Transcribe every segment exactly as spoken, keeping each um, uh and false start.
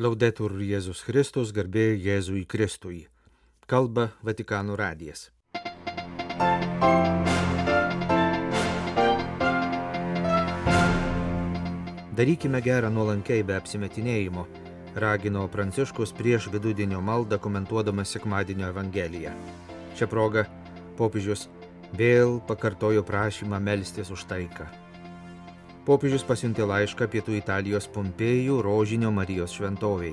Laudetur Jėzus Kristus, garbė Jėzui Kristui. Kalba Vatikano radijas. Darykime gerą nuolankiai be apsimetinėjimo, ragino Pranciškus prieš vidudienio maldą komentuodamas sekmadienio Evangeliją. Šią progą popiežius vėl pakartojo prašymą melstis už taiką. Popiežius pasiuntė laišką pietų Italijos Pompėjų Rožinio Marijos šventovei.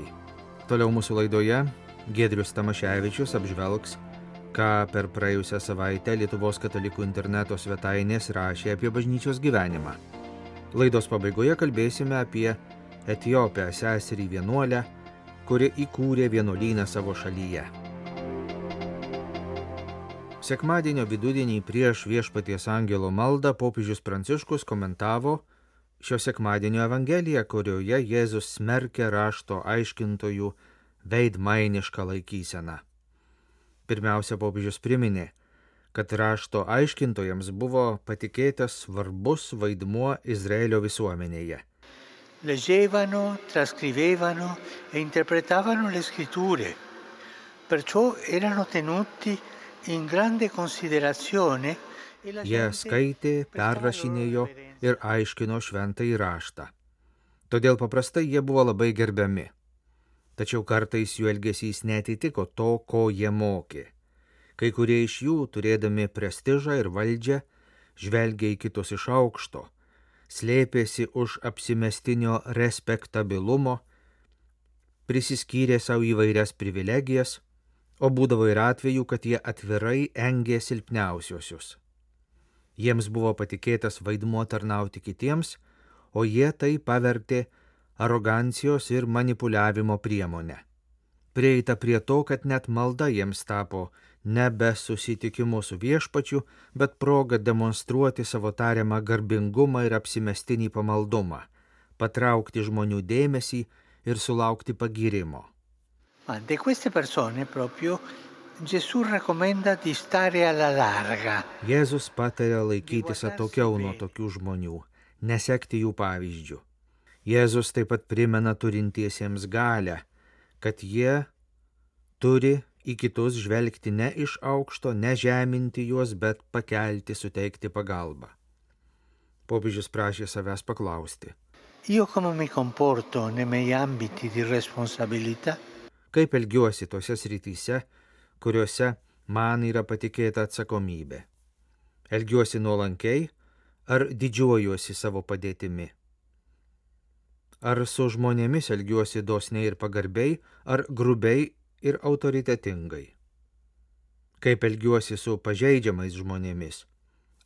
Toliau mūsų laidoje Giedrius Tamaševičius apžvelgs, ką per praėjusią savaitę Lietuvos katalikų interneto svetainės rašė apie bažnyčios gyvenimą. Laidos pabaigoje kalbėsime apie Etiopę seserį vienuolę, kuri įkūrė vienuolyną savo šalyje. Sekmadienio vidudienį prieš Viešpaties angelo maldą popiežius Pranciškus komentavo šio sekmadienio Evangeliją, kurioje Jėzus smerkia rašto aiškintojų veidmainišką laikyseną. Pirmiausia, popiežius priminė, kad rašto aiškintojams buvo patikėtas svarbus vaidmuo Izraelio visuomenėje. Leggevano, trascrivevano e interpretavano le scritture, perciò erano tenuti in grande considerazione. Jie skaitė, perrašinėjo ir aiškino šventąjį raštą. Todėl paprastai jie buvo labai gerbiami. Tačiau kartais jų elgesys neatitiko to, ko jie mokė. Kai kurie iš jų, turėdami prestižą ir valdžią, žvelgė į kitus iš aukšto, slėpėsi už apsimestinio respektabilumo, prisiskyrė savo įvairias privilegijas, o būdavo ir atvejų, kad jie atvirai engė silpniausiosius. Jiems buvo patikėtas vaidmuo tarnauti kitiems, o jie tai pavertė arogancijos ir manipuliavimo priemonę. Prieita prie to, kad net malda jiems tapo nebe susitikimu su viešpačiu, bet proga demonstruoti savo tariamą garbingumą ir apsimestinį pamaldumą, patraukti žmonių dėmesį ir sulaukti pagyrimo. Ma di queste persone proprio Gesù raccomanda di stare alla larga. Jėzus patarė laikytis atokiau nuo tokių žmonių, nesekti jų pavyzdžių. Jėzus taip pat primena turintiesiems galią, kad jie turi į kitus žvelgti ne iš aukšto, ne žeminti juos, bet pakelti, suteikti pagalbą. Popiežius prašė savęs paklausti. Io come mi comporto nei miei ambiti di responsabilità? Kaip elgiuosi tose srityse, kuriuose man yra patikėta atsakomybė. Elgiuosi nuolankiai ar didžiuojuosi savo padėtimi? Ar su žmonėmis elgiuosi dosniai ir pagarbiai, ar grubiai ir autoritetingai? Kaip elgiuosi su pažeidžiamais žmonėmis?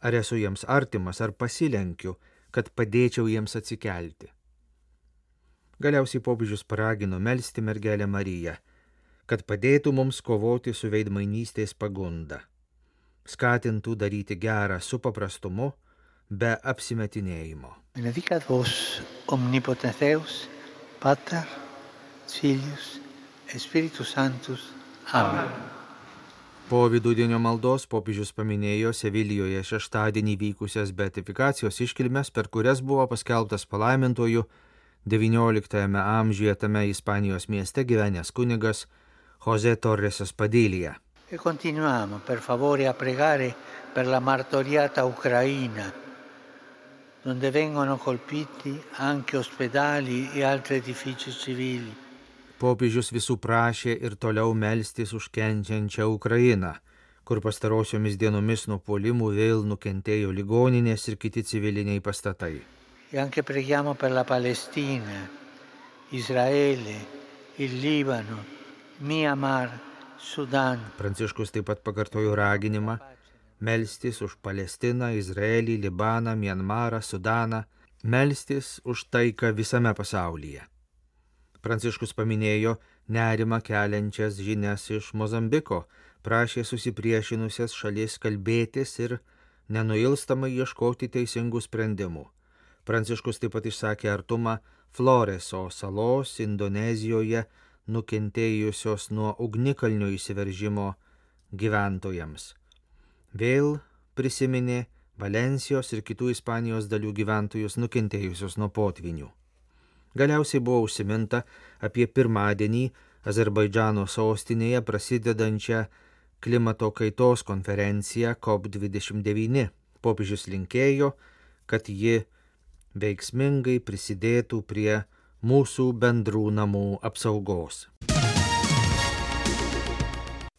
Ar esu jiems artimas, ar pasilenkiu, kad padėčiau jiems atsikelti? Galiausiai popiežius paragino melsti mergelę Mariją, kad padėtų mums kovoti su veidmainystės pagunda, skatintų daryti gerą su paprastumu, be apsimetinėjimo. Benedicat vos omnipotens Deus, Pater, Filius et Spiritus Sanctus. Amen. Po vidudienio maldos popiežius paminėjo Sevilijoje šeštadienį vykusias beatifikacijos iškilmes, per kurias buvo paskelbtas palaimintuoju devynioliktajame amžiuje tame Ispanijos mieste gyvenęs kunigas José Torres Espadilla. E continuiamo per favore a pregare per la martoriata Ucraina, donde vengono colpiti anche ospedali e altri edifici civili. Popiežius visų prašė ir toliau melstis už kenčiančią Ukrainą, kur pastarosiomis dienomis nuo puolimų vėl nukentėjo ligoninės ir kiti civiliniai pastatai. E anche preghiamo per la Palestina, Israele, il Libano, Myanmar, Sudan. Pranciškus taip pat pakartojo raginimą melstis už Palestiną, Izraelį, Libaną, Myanmarą, Sudaną, melstis už taiką visame pasaulyje. Pranciškus paminėjo nerimą keliančias žinias iš Mozambiko, prašė susipriešinusias šalis kalbėtis ir nenuilstamai ieškoti teisingų sprendimų. Pranciškus taip pat išsakė artumą Floreso salos Indonezijoje nukentėjusios nuo ugnikalnio įsiveržimo gyventojams. Vėl prisiminė Valensijos ir kitų Ispanijos dalių gyventojus nukentėjusius nuo potvynių. Galiausiai buvo užsiminta apie pirmadienį Azerbaidžano sostinėje prasidedančią klimato kaitos konferenciją COP dvidešimt devyni. Popiežius linkėjo, kad ji veiksmingai prisidėtų prie mūsų bendrų namų apsaugos.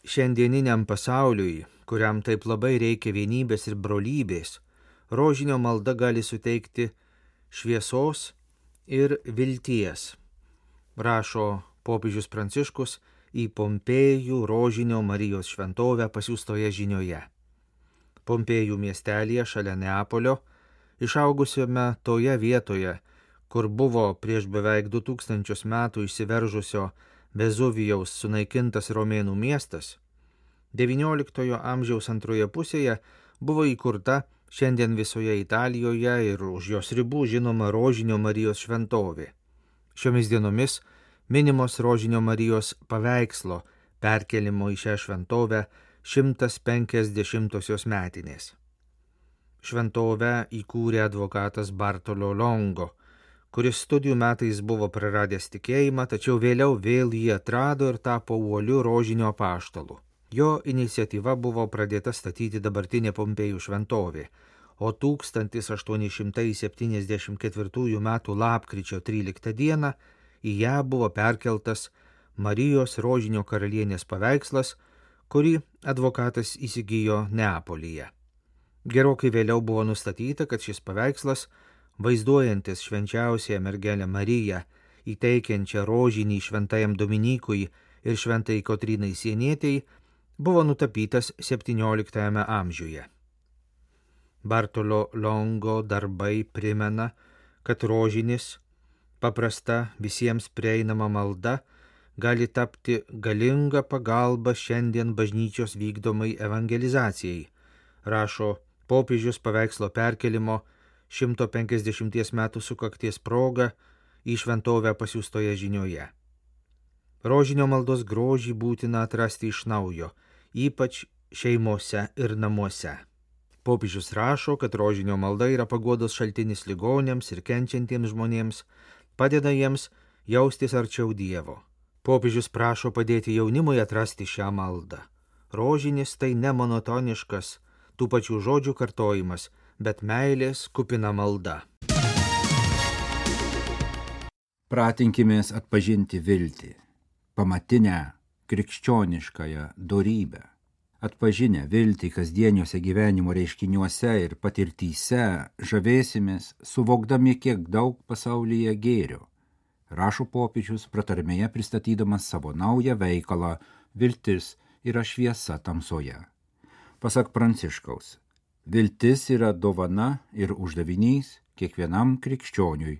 Šiandieniniam pasauliui, kuriam taip labai reikia vienybės ir brolybės, rožinio malda gali suteikti šviesos ir vilties, rašo popiežius Pranciškus į Pompėjų rožinio Marijos šventovę pasiųstoje žinioje. Pompėjų miestelyje šalia Neapolio, išaugusiame toje vietoje, kur buvo prieš beveik du tūkstančius metų išsiveržusio Vezuvijaus sunaikintas romėnų miestas, devynioliktojo amžiaus antroje pusėje buvo įkurta šiandien visoje Italijoje ir už jos ribų žinoma rožinio Marijos šventovė. Šiomis dienomis minimos rožinio Marijos paveikslo perkelimo į šią šventovę šimtas penkiasdešimtosios metinės. Šventovę įkūrė advokatas Bartolo Longo, kuris studijų metais buvo praradęs tikėjimą, tačiau vėliau vėl jį atrado ir tapo uoliu rožinio apaštalu. Jo iniciatyva buvo pradėta statyti dabartinė Pompėjų šventovė, o tūkstantis aštuoni šimtai septyniasdešimt ketvirtųjų metų lapkričio tryliktą dieną į ją buvo perkeltas Marijos rožinio karalienės paveikslas, kurį advokatas įsigijo Neapolyje. Gerokai vėliau buvo nustatyta, kad šis paveikslas, vaizduojantis švenčiausiąją mergelę Mariją, įteikiančią rožinį šventajam Dominykui ir šventai Kotrynai Sienietei, buvo nutapytas septynioliktajame amžiuje. Bartolo Longo darbai primena, kad rožinis, paprasta visiems prieinama malda, gali tapti galinga pagalba šiandien bažnyčios vykdomai evangelizacijai, rašo popiežius paveikslo perkelimo šimto penkiasdešimties metų sukakties proga į šventovę pasiųstoje žinioje. Rožinio maldos grožį būtina atrasti iš naujo, ypač šeimose ir namuose. Popiežius rašo, kad rožinio malda yra paguodos šaltinis ligoniams ir kenčiantiems žmonėms, padeda jiems jaustis arčiau Dievo. Popiežius prašo padėti jaunimui atrasti šią maldą. Rožinis tai ne monotoniškas, tų pačių žodžių kartojimas, bet meilės kupina malda. Pratinkimės atpažinti viltį, pamatinę krikščioniškąją dorybę. Atpažinę viltį kasdieniuose gyvenimo reiškiniuose ir patirtyse žavėsimės, suvokdami, kiek daug pasaulyje gėrio, rašo popiežius pratarmėje pristatydamas savo naują veikalą Viltis yra šviesa tamsoje. Pasak Pranciškaus, viltis yra dovana ir uždavinys kiekvienam krikščioniui.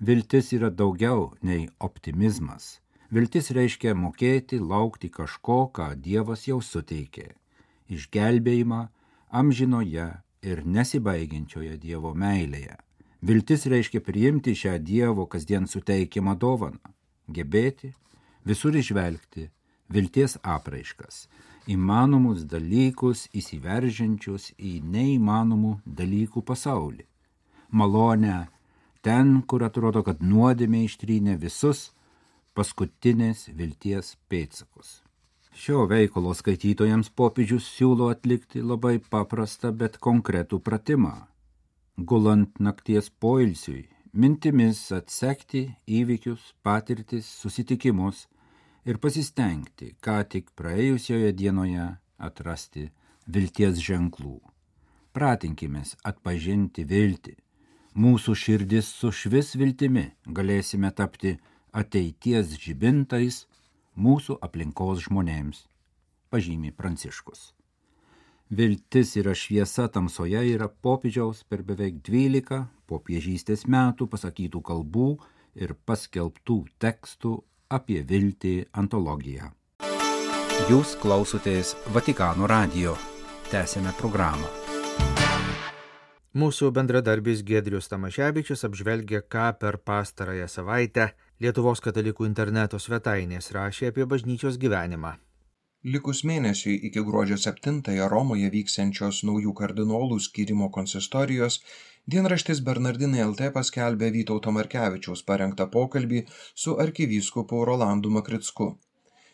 Viltis yra daugiau nei optimizmas. Viltis reiškia mokėti laukti kažko, ką Dievas jau suteikė. Išgelbėjimą amžinoje ir nesibaigiančioje Dievo meilėje. Viltis reiškia priimti šią Dievo kasdien suteikiamą dovaną, gebėti visur išvelgti vilties apraiškas, įmanomus dalykus įsiveržiančius į neįmanomų dalykų pasaulį. Malonę ten, kur atrodo, kad nuodėmė ištrynė visus paskutinės vilties pėdsakus. Šio veikalo skaitytojams popiežius siūlo atlikti labai paprastą, bet konkretų pratimą. Gulant nakties poilsiui, mintimis atsekti įvykius, patirtis, susitikimus ir pasistengti, ką tik praėjusioje dienoje atrasti vilties ženklų. Pratinkimės atpažinti viltį. Mūsų širdis sušvis viltimi, galėsime tapti ateities žibintais mūsų aplinkos žmonėms, pažymi Pranciškus. Viltis yra šviesa tamsoje yra popiežiaus per beveik dvylika popiežystės metų pasakytų kalbų ir paskelbtų tekstų apie viltį antologiją. Jūs klausotės Vatikano radijo. Tęsėme programą. Mūsų bendradarbis Giedrius Tamaševičius apžvelgia, ką per pastarąją savaitę Lietuvos katalikų interneto svetainės rašė apie bažnyčios gyvenimą. Likus mėnesiui iki gruodžio septintąją Romoje vyksiančios naujų kardinolų skyrimo konsistorijos, dienraštis Bernardinai L T paskelbė Vytauto Markevičiaus parengtą pokalbį su arkivyskupu Rolandu Makricku.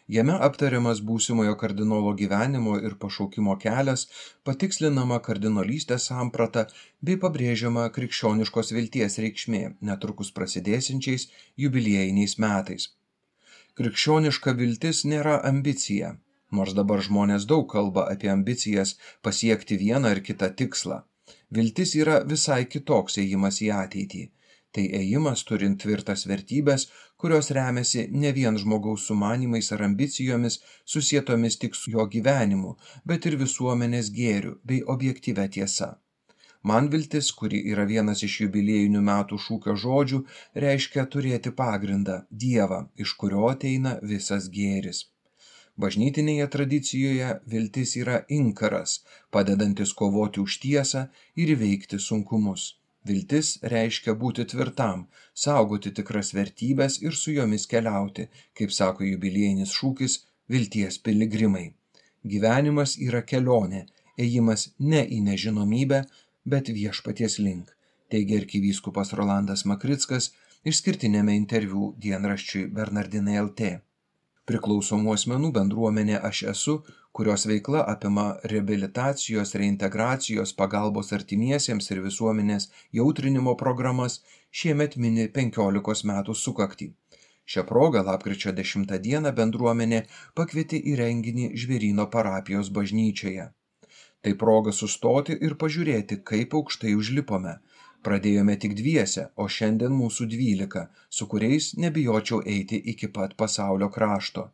Jame aptariamas būsimojo kardinolo gyvenimo ir pašaukimo kelias, patikslinama kardinolystės samprata bei pabrėžiama krikščioniškos vilties reikšmė netrukus prasidėsiančiais jubiliejiniais metais. Krikščioniška viltis nėra ambicija. Nors dabar žmonės daug kalba apie ambicijas pasiekti vieną ar kitą tikslą. Viltis yra visai kitoks ėjimas į ateitį. Tai ėjimas turint tvirtas vertybės, kurios remiasi ne vien žmogaus sumanimais ar ambicijomis susietomis tik su jo gyvenimu, bet ir visuomenės gėriu bei objektyvia tiesa. Man viltis, kuri yra vienas iš jubiliejinių metų šūkio žodžių, reiškia turėti pagrindą, Dievą, iš kurio ateina visas gėris. Bažnytinėje tradicijoje viltis yra inkaras, padedantis kovoti už tiesą ir įveikti sunkumus. Viltis reiškia būti tvirtam, saugoti tikras vertybės ir su jomis keliauti, kaip sako jubiliejinis šūkis, vilties piligrimai. Gyvenimas yra kelionė, ėjimas ne į nežinomybę, bet viešpaties link, teigia arkivyskupas Rolandas Makrickas išskirtinėme interviu dienraščiui Bernardinai L T. Priklausomų asmenų bendruomenė Aš esu, kurios veikla apima reabilitacijos, reintegracijos, pagalbos artimiesiems ir visuomenės jautrinimo programas, šiemet mini penkiolikos metų sukaktį. Šią progą lapkričio dešimtą dieną bendruomenė pakvietė į renginį Žvėryno parapijos bažnyčioje. Tai proga sustoti ir pažiūrėti, kaip aukštai užlipome. Pradėjome tik dviese, o šiandien mūsų dvylika, su kuriais nebijočiau eiti iki pat pasaulio krašto.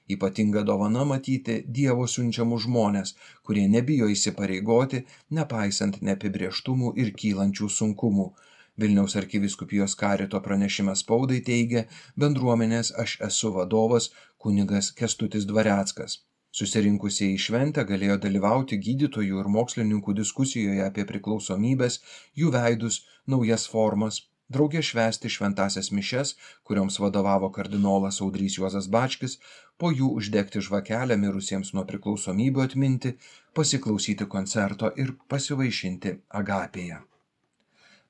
Ypatinga dovana matyti Dievo siunčiamus žmonės, kurie nebijo įsipareigoti, nepaisant neapibrėžtumų ir kylančių sunkumų. Vilniaus arkivyskupijos karito pranešime spaudai teigia bendruomenės Aš esu vadovas kunigas Kęstutis Dvareckas. Susirinkusieji į šventę galėjo dalyvauti gydytojų ir mokslininkų diskusijoje apie priklausomybės, jų veidus, naujas formas, drauge švęsti šventąsias mišias, kurioms vadovavo kardinolas Audrys Juozas Bačkis, po jų uždegti žvakelę mirusiems nuo priklausomybių atminti, pasiklausyti koncerto ir pasivaišinti agapėje.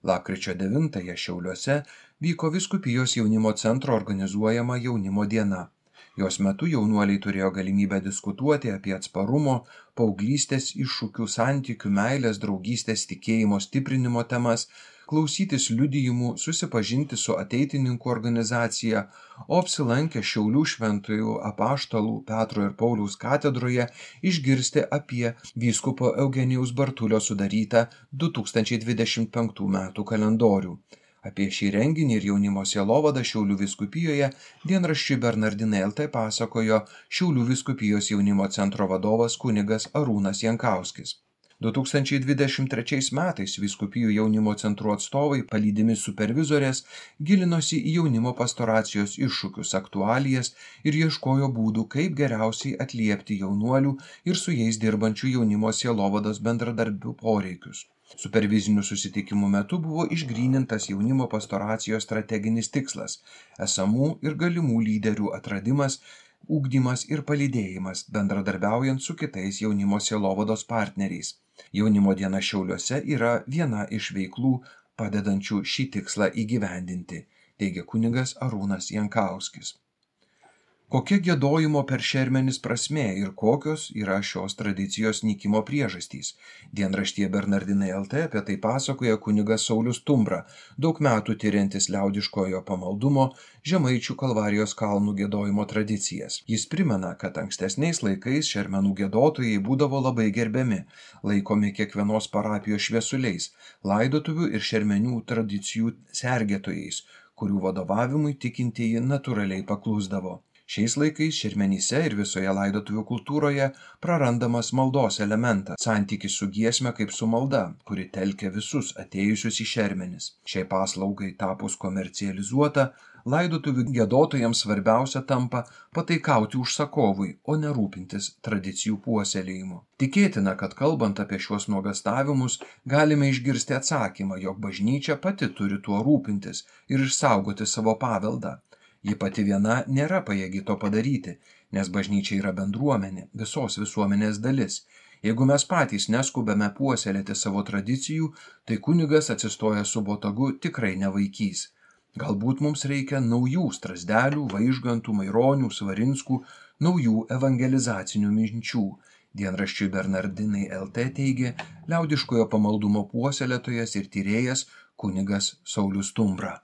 Lapkričio devintąją Šiauliuose vyko Vyskupijos jaunimo centro organizuojama jaunimo diena. Jos metu jaunuoliai turėjo galimybę diskutuoti apie atsparumo, paauglystės iššūkių, santykių, meilės, draugystės, tikėjimo stiprinimo temas, klausytis liudijimų, susipažinti su ateitininkų organizacija, o apsilankę Šiaulių šventųjų apaštalų Petro ir Pauliaus katedroje išgirsti apie vyskupo Eugenijaus Bartulio sudarytą du tūkstančiai dvidešimt penktų metų kalendorių. Apie šį renginį ir jaunimo sielovadą Šiaulių vyskupijoje dienraščiui Bernardinai L T pasakojo Šiaulių vyskupijos jaunimo centro vadovas kunigas Arūnas Jankauskis. du tūkstančiai dvidešimt trečiais metais vyskupijų jaunimo centrų atstovai, palydimi supervizorės, gilinosi į jaunimo pastoracijos iššūkius, aktualijas ir ieškojo būdų, kaip geriausiai atliepti jaunuolių ir su jais dirbančių jaunimo sielovados bendradarbių poreikius. Supervizinių susitikimų metu buvo išgrynintas jaunimo pastoracijos strateginis tikslas – esamų ir galimų lyderių atradimas, ugdymas ir palydėjimas, bendradarbiaujant su kitais jaunimo sielovados partneriais. Jaunimo diena Šiauliuose yra viena iš veiklų, padedančių šį tikslą įgyvendinti, teigia kunigas Arūnas Jankauskis. Kokia giedojimo per šermenis prasmė ir kokios yra šios tradicijos nykimo priežastys? Dienraštyje Bernardinai L T apie tai pasakoja kunigas Saulius Tumbra, daug metų tyriantis liaudiškojo pamaldumo Žemaičių Kalvarijos kalnų giedojimo tradicijas. Jis primena, kad ankstesniais laikais šermenų giedotojai būdavo labai gerbiami, laikomi kiekvienos parapijos šviesuliais, laidotuvių ir šermenių tradicijų sergėtojais, kurių vadovavimui tikintieji natūraliai paklusdavo. Šiais laikais šermenyse ir visoje laidotuvių kultūroje prarandamas maldos elementas, santykis su giesme kaip su malda, kuri telkia visus atėjusius į šermenis. Šiai paslaugai tapus komercializuota, laidotuvių giedotojams svarbiausia tampa pataikauti užsakovui, o ne rūpintis tradicijų puoselėjimu. Tikėtina, kad kalbant apie šiuos nuogastavimus, galime išgirsti atsakymą, jog bažnyčia pati turi tuo rūpintis ir išsaugoti savo paveldą. Ji pati viena nėra pajėgi to padaryti, nes bažnyčia yra bendruomenė, visos visuomenės dalis. Jeigu mes patys neskubame puoselėti savo tradicijų, tai kunigas atsistojęs su botagu tikrai nevaikys. Galbūt mums reikia naujų Strazdelių, Vaižgantų, Maironių, Svarinskų, naujų evangelizacinių minčių. Dienraščiui Bernardinai L T teigė liaudiškojo pamaldumo puoselėtojas ir tyrėjas kunigas Saulius Stumbra.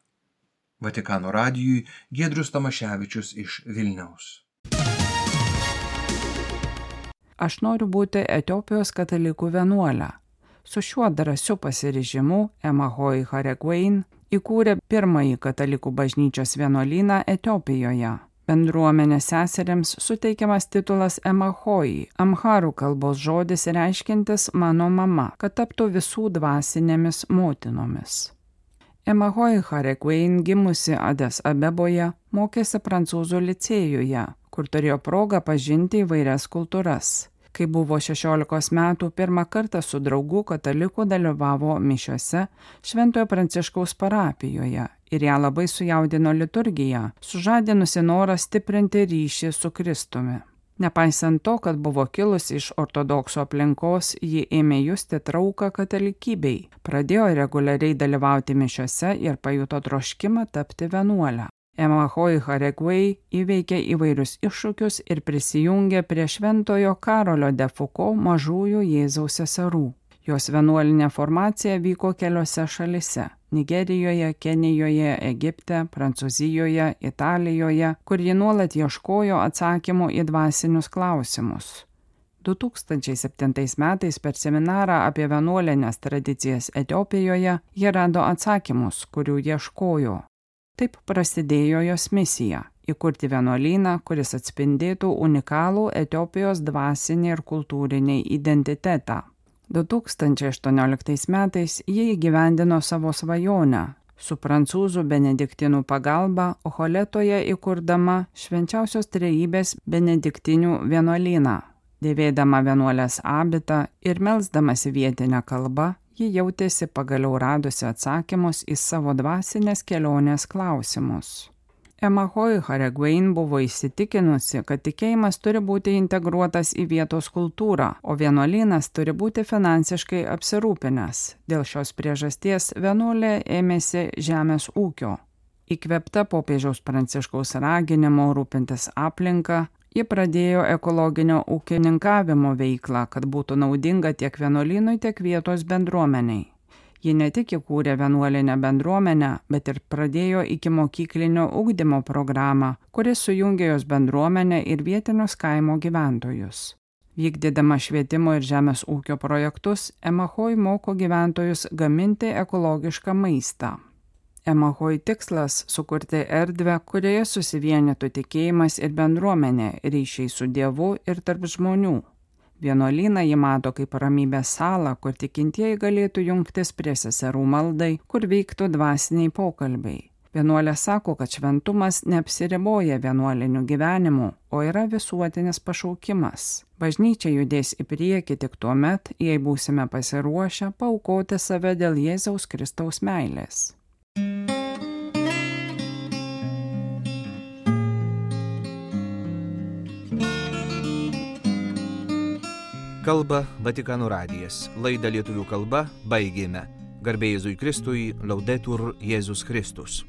Vatikano radijui Giedrius Tamaševičius iš Vilniaus. Aš noriu būti Etiopijos katalikų vienuolė. Su šiuo drąsiu pasiryžimu Emahoi Haregwein įkūrė pirmąjį katalikų bažnyčios vienuolyną Etiopijoje. Bendruomenės seseriams suteikiamas titulas Emahoi, amharų kalbos žodis reiškintis mano mama, kad taptų visų dvasinėmis motinomis. Emahoi Haregwein gimusi Ades Abeboje mokėsi prancūzų licėjuje, kur turėjo progą pažinti įvairias kultūras. Kai buvo šešiolikos metų, pirmą kartą su draugu kataliku dalyvavo mišiose Šventojo Pranciškaus parapijoje ir ją labai sujaudino liturgija, sužadinusi norą stiprinti ryšį su Kristumi. Nepaisant to, kad buvo kilusi iš ortodoksų aplinkos, ji ėmė justi trauką katalikybei, pradėjo reguliariai dalyvauti mišiose ir pajuto troškimą tapti vienuolę. Emahoi Haregwein įveikė įvairius iššūkius ir prisijungė prie Šventojo Karolio de Foucault mažųjų Jėzaus seserų. Jos vienuolinė formacija vyko keliose šalise – Nigerijoje, Kenijoje, Egipte, Prancūzijoje, Italijoje, kur ji nuolat ieškojo atsakymų į dvasinius klausimus. du tūkstančiai septintais metais per seminarą apie vienuolinės tradicijas Etiopijoje ji rado atsakymus, kurių ieškojo. Taip prasidėjo jos misija – įkurti vienuolyną, kuris atspindėtų unikalų Etiopijos dvasinį ir kultūrinį identitetą. du tūkstančiai aštuonioliktais metais jie įgyvendino savo svajonę, su prancūzų benediktinų pagalba Ocholetoje įkurdama Švenčiausios Trejybės benediktinių vienuolyną. Dėvėdama vienuolės abitą ir melsdamasi vietinę kalbą, ji jautėsi pagaliau radusi atsakymus į savo dvasinės kelionės klausimus. Emahoi Haregwein buvo įsitikinusi, kad tikėjimas turi būti integruotas į vietos kultūrą, o vienuolynas turi būti finansiškai apsirūpinęs. Dėl šios priežasties vienuolė ėmėsi žemės ūkio. Įkvėpta popiežiaus Pranciškaus raginimo rūpintis aplinką, ji pradėjo ekologinio ūkininkavimo veiklą, kad būtų naudinga tiek vienuolynui, tiek vietos bendruomeniai. Ji ne tik įkūrė vienuolinę bendruomenę, bet ir pradėjo ikimokyklinio ugdymo programą, kuris sujungė jos bendruomenę ir vietinius kaimo gyventojus. Vykdydama švietimo ir žemės ūkio projektus, Emahoi moko gyventojus gaminti ekologišką maistą. Emahoi tikslas – sukurti erdvę, kurioje susivienytų tikėjimas ir bendruomenė, ryšiai su Dievu ir tarp žmonių. Vienuolyną ji mato kaip ramybės salą, kur tikintieji galėtų jungtis prie seserų maldai, kur vyktų dvasiniai pokalbiai. Vienuolė sako, kad šventumas neapsiriboja vienuoliniu gyvenimu, o yra visuotinis pašaukimas. Bažnyčia judės į priekį tik tuo met, jei būsime pasiruošę paaukoti save dėl Jėzaus Kristaus meilės. Kalba Vatikano radijas. Laidą lietuvių kalba baigėme. Garbė Jėzui Kristui, Laudetur Jėzus Kristus.